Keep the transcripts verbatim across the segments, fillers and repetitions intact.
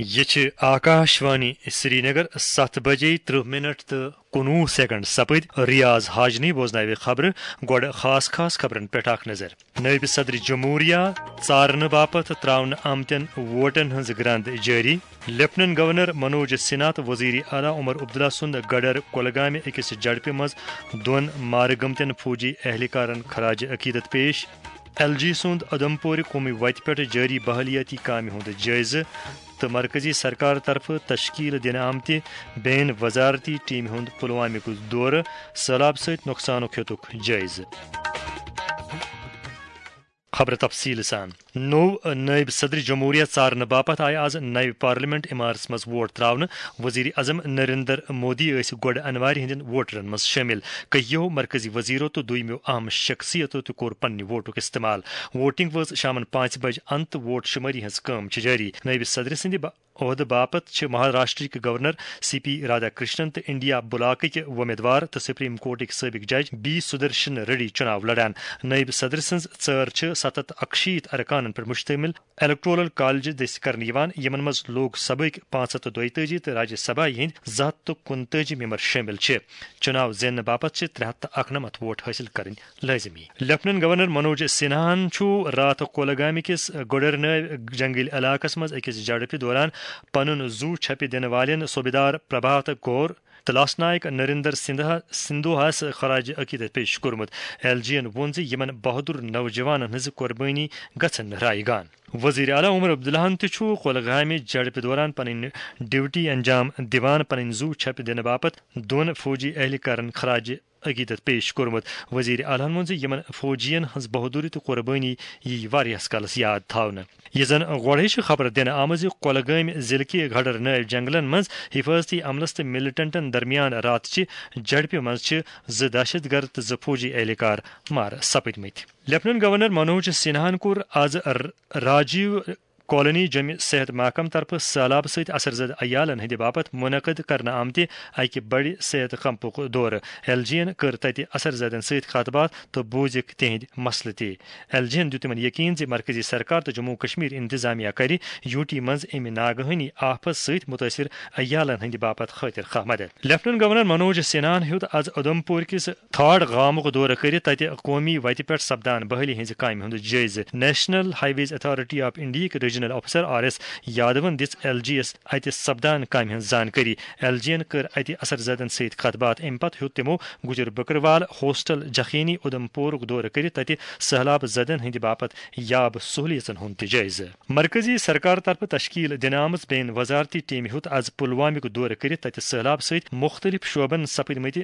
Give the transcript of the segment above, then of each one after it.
یہِ چھِ آکاش وانی سرینگر، ستھ بجے ترٕہ منٹ تہٕ کُنوُہ سیکنڈ سپٕدۍ۔ ریاض حاجنی بوزناوِ خبرٕ۔ گۄڈٕ خاص خاص خبرن پٮ۪ٹھ اکھ نظر۔ نٲیِب صدر جمہوریہ ژارنہٕ باپتھ ترٛاونہٕ آمتٮ۪ن ووٹن ہٕنٛز گرٛنٛد جٲری۔ لیفٹیننٹ گورنر منوج سنہا تہٕ وزیر اعلیٰ عمر عبداللہ سُنٛد گڈر کۄلگامہِ أکِس جھڑپہِ منٛز دۄن مارٕ گٔمتٮ۪ن فوجی اہلکارن خراج عقیدت پیش۔ ایل جی سُنٛد ادمپورِ قومی وتہِ پٮ۪ٹھ جٲری بحالیٲتی کامہِ ہُنٛد جٲیزٕ تہٕ مرکزی سرکار طرفہٕ تشکیل دِنہٕ آمتہِ بین وزارتی ٹیمہِ ہُنٛد پلوامِک دورٕ، سٔہلاب سۭتۍ نۄقصانُک ہیوٚتُکھ جٲیزٕ۔ خبرٕ تفصیٖل سان۔ نوٚو نٲیِب صدر جمہوریہ ژارنہٕ باپتھ آیہِ آز نَوِ پارلیمنٹ عمارژ منٛز ووٹ ترٛاونہٕ۔ وزیر اعظم نریندر مودی ٲسۍ گۄڈٕ انوارِ ہٕنٛدٮ۪ن ووٹرن منٛز شٲمِل۔ کینٛہو مرکزی وزیرو تہٕ دوٚیمٮ۪و اہم شخصیتو تہِ کوٚر پننہِ ووٹُک استعمال۔ ووٹنگ وٲژ شامن پانٛژِ بجہِ اند تہٕ ووٹ شُمٲری ہٕنٛز کٲم چھِ جٲری۔ نٲیِب صدرٕ سٕنٛدِ با-، عہدٕ باپتھ چھِ مہاراشٹرٕکۍ governor C P Radha Krishnan تہٕ انڈیا بلاکٕکۍ وۄمیدوار تہٕ سپریم کورٹٕکۍ سٲبق جج بی سدرشن ریڈی چُناو لڑان۔ نٲیِب صدر سٕنٛز ژٲر چھِ ستھ ہتھ اکشیٖتھ ارکانن پٮ۪ٹھ مشتمل۔ الیکٹورل کالج دٔسۍ کرنہٕ یِوان، یِمن منٛز لوک سبھٕکۍ پانٛژھ ہتھ تہٕ دۄیتٲجی تہٕ راجیہ سبھا ہٕنٛدۍ زٕ ہتھ تہٕ کُنتٲجی ممبر شٲمِل چھِ۔ چُناو زیننہٕ باپتھ چھِ ترٛےٚ ہتھ تہٕ اکنمتھ ووٹ حٲصِل کرٕنۍ لٲزمی۔ لیفٹیننٹ گورنر منوج سنہاہن چھُ راتھ کولگامہِ کِس گوڈرنٲوۍ جنگل علاقس منٛز أکِس جھڑپہِ دوران پنُن زُو چھپہِ دِنہٕ والٮ۪ن صوبیدار پربھات کور تہٕ لاسہٕ نائک نریندر سندھا، سندھوہس خراج عقیدت پیش کوٚرمُت۔ ایل جی ین ووٚن زِ یِمن بہادر نوجوانن ہٕنٛز قربٲنی گژھن نہٕ رایگان۔ وزیر اعلیٰ عمر عبداللہن تہِ چھُ کولگامہِ جھڑپہِ دوران پنٕنۍ ڈیوٹی انجام دِوان پنٕنۍ زُو چھپہِ دِنہٕ باپتھ دۄن فوجی اہلکارن خراج عقیدت پیش کوٚرمُت۔ وزیر اعلیٰ ہن ووٚن زِ یِمن فوجین ہٕنٛز بہادری تہٕ قربٲنی یِیہِ واریاہس کالس یاد تھاونہٕ۔ یہِ زن گۄڈے چھِ خبر دِنہٕ آمٕژ زِ کۄلگٲمۍ ضلعہٕ کہِ گھڈر نٲوۍ جنگلن منٛز حفاظتی عملس تہٕ ملیٹنٹن درمیان راتچہِ جھڑپہِ منٛز چھِ زٕ دہشت گرد تہٕ زٕ فوجی اہلکار مارٕ سپٕدمٕتۍ۔ لیفٹیننٹ گورنر منوج سنہاہن کوٚر آز ر-، راجیو کالونی جوٚمہِ صحت محکمہٕ طرفہٕ سٔہلاب سۭتۍ اثر زدٕ عیالن ہٕنٛدِ باپتھ منعقد کرنہٕ آمتہِ اکہِ بڑِ صحت کیمپُک دورٕ۔ ایل جی ین کٔر تتہِ اثر زدن سۭتۍ کتھ باتھ تہٕ بوٗزِکھ تِہنٛدۍ مسلہٕ تہِ۔ ایل جی ین دیُت تِمن یقین زِ مرکزی سرکار تہٕ جموں کشمیر انتظامیہ کرِ یوٗ ٹی منٛز امہِ ناگہٲنی آفت سۭتۍ مُتٲثر عیالن ہٕنٛدِ باپتھ خٲطر خواہ مدد۔ لیفٹیننٹ گورنر منوج سنہاہن ہیوٚت از اُدھمپور کِس تھاڈ گامُک دورٕ کٔرِتھ تتہِ قومی وتہِ پٮ۪ٹھ سپدان بحالی ہٕنٛزِ کامہِ ہُنٛد جٲیزٕ۔ National highways authority of انڈیاہٕکۍ ریجنل آفیسر آر ایس یادون دِژ ایل جی یس اتہِ سپدان کامہِ ہٕنٛز زانکٲری۔ ایل جی ین کٔر اتہِ اثر زدن سۭتۍ کتھ باتھ۔ امہِ پتہٕ ہیوٚت تِمو گُجر بکروال ہاسٹل جخینی اُدھمپورُک دورٕ کٔرِتھ تتہِ سٔہلاب زدن ہٕنٛدِ باپتھ یاب سہولیژن ہُنٛد تہِ جٲیزٕ۔ مرکزی سرکار طرفہٕ تشکیل دِنہٕ آمٕژ بین وزارتی ٹیمہِ ہیوٚت از پلوامُک دورٕ کٔرِتھ تتہِ سٔہلاب سۭتۍ مُختٔلِف شعبن سپٕدمٕتہِ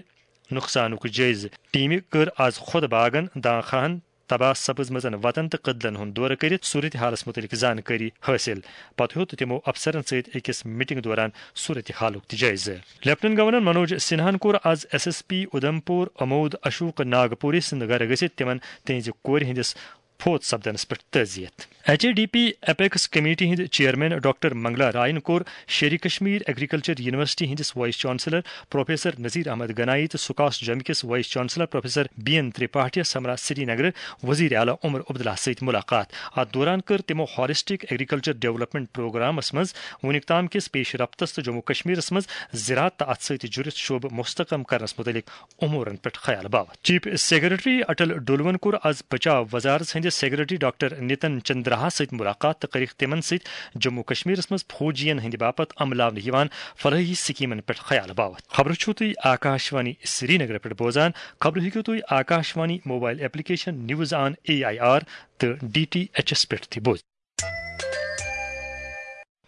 نۄقصانُک جٲیزٕ۔ ٹیمہِ کٔر از خۄد باغن، دانخاہن، تباہ سپٕزمٕژن وتن تہٕ کدلن ہُنٛد دورٕ کٔرِتھ صورتحالس مُتعلق زانکٲری حٲصِل۔ پتہٕ ہیوٚت تِمو افسرن سۭتۍ أکِس میٹنگ دوران صورتحالُک تہِ جٲیزٕ۔ لیفٹیننٹ گورنر منوج سنہاہن کوٚر از S S P Udhampur Amod Ashok Nagpure سٕنٛدِ گرٕ گٔژھِتھ تِمن تِہنٛزِ کورِ ہٕنٛدِس فوت سپدنس پٮ۪ٹھ تعزیت۔ H A D P apex committee ہٕنٛدۍ چیئرمین ڈاکٹر منگلا رائن کوٚر شیرِ کشمیر ایگریکلچر یونیورسٹی ہٕنٛدِس vice chancellor professor Nazir Ahmad Ganai تہٕ سکاس جوٚمہِ کِس vice chancellor professor B N ترپاٹھیَس ہمراہ سری نگر وزیر اعلیٰ عمر عبداللہ سۭتۍ ملاقات۔ اتھ دوران کٔر تِمو ہالسٹک ایگریکلچر ڈیولپمنٹ پروگرامس منٛز وُنیُک تام کِس پیش رفتس تہٕ جموں کشمیرس منٛز زراعت تہٕ اتھ سۭتۍ جُڑِتھ شعبہٕ مستحکم کرنس مُتعلق امورن پٮ۪ٹھ خیال باوتھ۔ چیف سیکرٹری اٹل ڈولون کوٚر از بچاو وزارت ہٕنٛدِس سیکرٹری ڈاکٹر نتن چندراہس سۭتۍ ملاقات تہٕ کٔرٕکھ تِمن سۭتۍ جموں کشمیرس منٛز فوجین ہٕنٛدِ باپتھ عملاونہٕ یِوان فلاحی سکیمن پٮ۪ٹھ خیال باوتھ۔ خبرٕ چھِو تُہۍ آکاش وانی سرینگر پٮ۪ٹھ بوزان۔ خبرٕ ہیٚکِو تُہۍ Akashvani mobile application news on A I R تہٕ ڈی ٹی ایچ ایس پٮ۪ٹھ تہِ بوزِتھ۔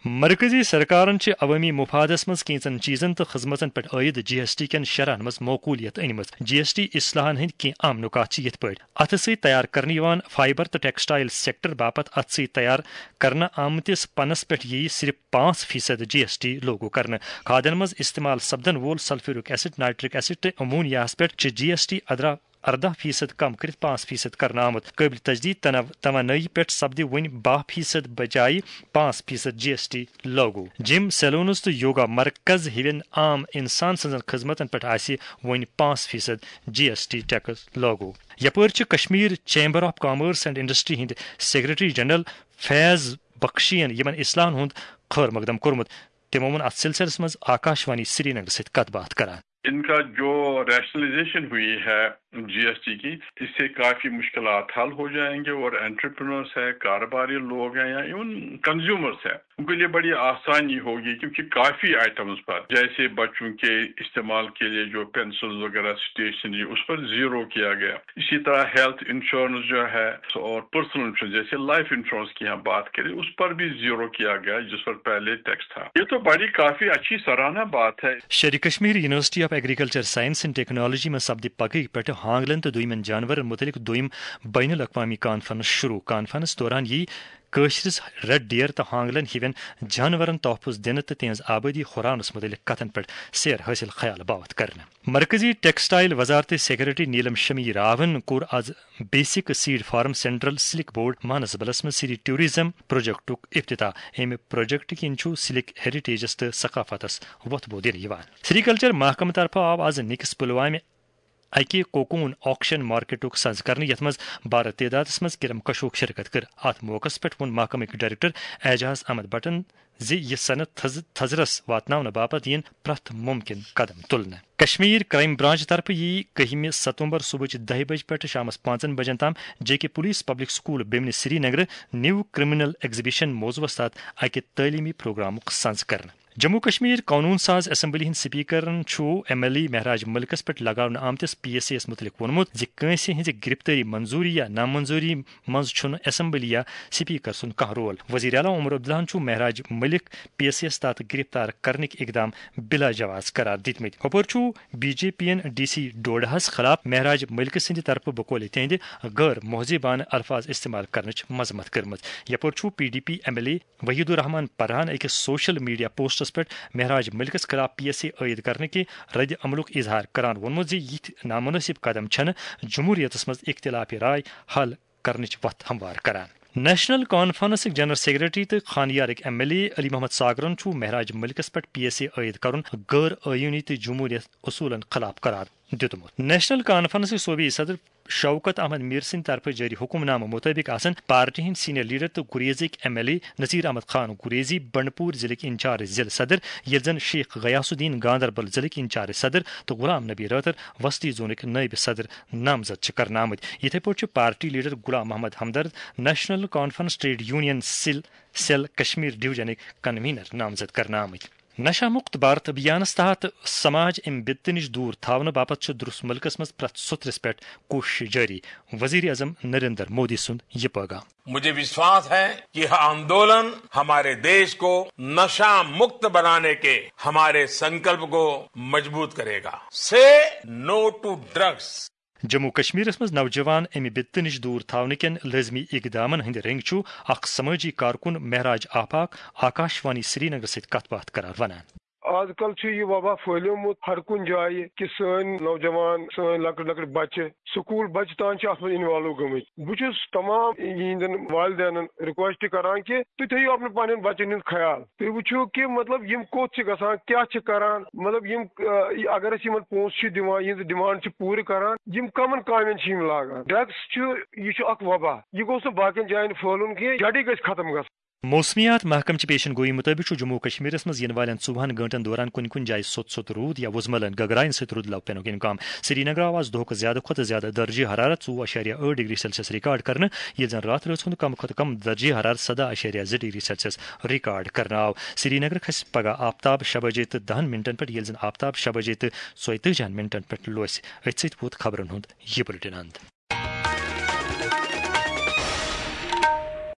مرکزی سرکارن چھِ عوٲمی مفادس منٛز کینٛژن چیٖزن تہٕ خدمژن پٮ۪ٹھ عٲید جی ایس ٹی کٮ۪ن شرحن منٛز معقولیت أنمٕژ۔ جی ایس ٹی اصلاحن ہٕنٛدۍ کینٛہہ اہم نکات چھِ یِتھ پٲٹھۍ: اتھٕ سۭتۍ تیار کرنہٕ یِوان فائبر تہٕ ٹیکسٹائل سیکٹر باپتھ اتھٕ سۭتۍ تیار کرنہٕ آمتِس پنس پٮ۪ٹھ یِیہِ صرف پانٛژھ فیصد جی ایس ٹی لاگو کرنہٕ۔ کھادن منٛز استعمال سپدن وول سلفیورک ایسڈ، نائٹرک ایسڈ تہٕ امونیاہس پٮ۪ٹھ چھِ جی ایس ٹی ادرا ارداہ فیصد کم کٔرِتھ پانٛژھ فیصد کرنہٕ آمُت۔ قٲبلِ تجدید تنو-، توانٲیی پٮ۪ٹھ سپدِ وۄنۍ باہ فیصد بجایہِ پانٛژھ فیصد جی ایس ٹی لاگو۔ جم، سیلونز تہٕ یوگا مرکز ہِوٮ۪ن عام انسان سٕنٛزن خدمتن پٮ۪ٹھ آسہِ وۄنۍ پانٛژھ فیصد جی ایس ٹی ٹیکس لاگو۔ یپٲرۍ چھِ Kashmir chamber of commerce and industry ہٕنٛدۍ سیکرٹری جنرل فیض بخشین یمن اصلاحن ہند خیر مقدم کورمت۔ تمو ووٚن اتھ سلسلس منز آکاشوانی سرینگر سۭتۍ کتھ باتھ کران۔ ان کا جو ریشنلائزیشن ہوئی ہے جی ایس ٹی کی، اس سے کافی مشکلات حل ہو جائیں گے اور انٹرپرینورز ہے، کاروباری لوگ ہیں یا ایون کنزیومرز ہے، ان کے لیے بڑی آسانی ہوگی، کیونکہ کافی آئٹمز پر جیسے بچوں کے استعمال کے لیے جو پینسلز وغیرہ، اسٹیشنری، اس پر زیرو کیا گیا۔ اسی طرح ہیلتھ انشورنس جو ہے اور پرسنل انشورنس، جیسے لائف انشورنس کی ہم بات کریں، اس پر بھی زیرو کیا گیا جس پر پہلے ٹیکس تھا۔ یہ تو بڑی کافی اچھی سراہنا بات ہے۔ Sher e Kashmir university of agriculture science and technology منٛز سپدِ پگہٕکۍ پٮ۪ٹھٕ ہانگلن تہٕ دوٚیمٮ۪ن جانورن مُتعلق دوٚیِم بین الاقوامی کانفرنس شروع۔ کانفرنس دوران یی کٲشرِس ریڈ ڈیئر تہٕ ہانگلن ہِوٮ۪ن جانورن تحفظ دِنہٕ تہٕ تِہنٛز آبٲدی ہُراونس مُتعلق کتھن پٮ۪ٹھ سیر حٲصِل خیال باوتھ کرنہٕ۔ مرکزی ٹیکسٹائل وزارت سیکرٹری نیلم شمی راون کوٚر از basic seed farm central silk board مانسبلس منٛز سری ٹورازم پروجیکٹُک افتتاح۔ امہِ پروجیکٹ کِنۍ چھُ سلک ہیریٹیجس تہٕ ثقافتس وۄتھ بو دِنہٕ یِوان۔ سری کلچر محکمہٕ طرفہٕ آو از نِکس پلوامہِ اکہِ کوکون آکشن مارکیٹُک سنز کرنہٕ، یتھ منٛز بارٕ تعدادس منٛز کرم کشوک شرکت کٔر۔ اتھ موقعس پٮ۪ٹھ ووٚن محکمٕکۍ ڈائریکٹر اعجاز احمد بٹن زِ یہِ صنعت تھز-، تھزرس واتناونہٕ باپتھ یِن پرٛٮ۪تھ مُمکِن قدم تُلنہٕ۔ کشمیر کرائم برانچ طرفہٕ یی کٔہمہِ ستمبر صبحٕچ دَہہِ بجہِ پٮ۪ٹھٕ شامس پانٛژن بجن تام جے کے پولیس پبلک سکول بیمنہِ سری نگر نیو کرمنل ایگزیبیشن موضوعس تحت اکہِ تعلیمی پروگرامُک سنز کرنہٕ۔ جموں کشمیر قونون ساز اسمبلی ہٕنٛدۍ سپیکرن چھُ ایم ایل اے مہراج ملکس پٮ۪ٹھ لگاونہٕ آمتِس پی ایس اے یس مُتعلق ووٚنمُت زِ کٲنٛسہِ ہٕنٛزِ گرفتٲری منظوٗری یا نامنظوٗری منٛز چھُنہٕ اسمبلی یا سپیکر سُنٛد کانٛہہ رول۔ وزیر اعلیٰ عمر عبداللہن چھُ مہراج ملک پی ایس اے یس تحت گرفتار کرنٕکۍ اقدام بلا جواز قرار دِتمٕتۍ۔ ہُپٲرۍ چھُ بی جے پی یَن ڈی سی ڈوڈاہَس خلاف مہراج ملک سٕنٛدِ طرفہٕ بقولِ تِہنٛدِ غٲر مہذبانہٕ الفاظ استعمال کرنٕچ مذمت کٔرمٕژ۔ یپٲرۍ چھُ P D P M L A Waheed Ur Rehman پرہان أکِس سوشل میڈیا پوسٹس پٮ۪ٹھ مہراج ملکس خلاف پی ایس اے عائد کرنہٕ کہِ رد عملُک اظہار کران ووٚنمُت زِ یِتھۍ نامناسب قدم چھنہٕ جمہوریتس منٛز اختلاف رائے حل کرنٕچ وتھ ہموار کران۔ نیشنل کانفرنسٕکۍ جنرل سیکرٹری تہٕ خانیارٕکۍ M L A Ali Mohammad ساگرن چھُ مہراج ملکس پٮ۪ٹھ پی ایس اے عائد کرُن غٲر آئینی تہٕ جمہوریت اصولن خلاف قرار دیُتمُت۔ نیشنل کانفرنسٕکۍ صوبی صدر شوکت احمد میر سٕنٛدِ طرفہٕ جٲری حکم نامہٕ مُطٲبِق آسن پارٹی ہٕنٛدۍ سینئر لیڈر تہٕ گریزٕکۍ M L A Nazir Ahmad Khan Gurezi Bandipora ضلعٕکۍ انچارج ضلع صدر، ییٚلہِ زن شیخ غیاث الدین گاندربل ضلعٕکۍ انچارج صدر تہٕ غلام نبی رٲتھر وسطی زونٕکۍ نٲیِب صدر نامزد چھِ کرنہٕ آمٕتۍ۔ یِتھے پٲٹھۍ چھِ party leader Ghulam Mohammad Hamdard national conference trade union cell, cell Kashmir ڈویژنٕکۍ کنوینر نامزد کرنہٕ آمٕتۍ۔ نشہ مکت بھارت ابھیانس تحت سماج امہِ بدتہٕ نِش دوٗر تھاونہٕ باپتھ چھُ درست ملکس منٛز پرٛٮ۪تھ سوٚتھرِس پٮ۪ٹھ کوٗشش جٲری۔ وزیر اعظم نریندر مودی سُنٛد یہِ پیغام۔ مجھے وشواس ہے کہ یہ آندولن ہمارے دیش کو نشہ مکت بنانے کے ہمارے سنکلپ کو مضبوط کرے گا۔ سے نو ٹو ڈرگس۔ جموں کشمیرس منٛز نوجوان امہِ بدتہٕ نِش دوٗر تھاونہٕ کٮ۪ن لٲزمی اقدامن ہٕنٛدِ رٔنگۍ چھُ اکھ سمٲجی کارکُن مہراج آفاق آکاشوانی سرینگر سۭتۍ کتھ باتھ کران ونان۔ آز کل چھُ یہِ وبا پھٔہلیومُت ہر کُنہِ جایہِ کہِ سٲنۍ نوجوان، سٲنۍ لۄکٕٹۍ لۄکٕٹۍ بچہِ، سکوٗل بچہِ تام چھِ اتھ منٛز انوالو گٔمٕتۍ۔ بہٕ چھُس تمام یِہنٛدٮ۪ن والدینن ریکویسٹ کران کہِ تُہۍ تھٲیِو اپنے پننٮ۪ن بچن ہُنٛد خیال۔ تُہۍ وٕچھِو کہِ مطلب یِم کوٚت چھِ گژھان، کیٛاہ چھِ کران، مطلب یِم، اگر أسۍ یِمن پونٛسہٕ چھِ دِوان، یِہنٛز ڈیمانڈ چھِ پوٗرٕ کران، یِم کمن کامٮ۪ن چھِ یِم لاگان۔ ڈرگس چھُ، یہِ چھُ اکھ وبا، یہِ گوٚژھ نہٕ باقین جاین پھٔہلُن کینٛہہ، جڑی گژھِ ختم گژھُن۔ موسمیات محکمہٕ چہِ پیشن گویی مُطٲبِق چھُ جموں و کشمیرس منٛز یِنہٕ والٮ۪ن ژوٚوُہن گٲنٛٹن دوران کُنہِ کُنہِ جایہِ سوٚت سوٚت روٗد یا وُزملن گگراین سۭتۍ رُدٕ لو پینُک امکان۔ سرینگر آو آز دۄہُک زیادٕ کھۄتہٕ زیادٕ درجہ حرارت ژوٚوُہ اعشاریہ ٲٹھ ڈگری سیلسیس ریکارڈ کرنہٕ، ییٚلہِ زن راتھ رٲژ ہُنٛد کم کھۄتہٕ کم درجہ حرارت سداہ اعشاریہ زٕ ڈگری سیلسیس ریکارڈ کرنہٕ آو۔ سرینگر کھسہِ پگہہ آفتاب شےٚ بجے تہٕ دہن منٹن پٮ۪ٹھ، ییٚلہِ زن آفتاب شےٚ بجے تہٕ ژۄیتٲجِہن منٹن پٮ۪ٹھ لوسہِ۔ أتھۍ سۭتۍ ووت خبرن ہُنٛد یہِ بُلٹن اند۔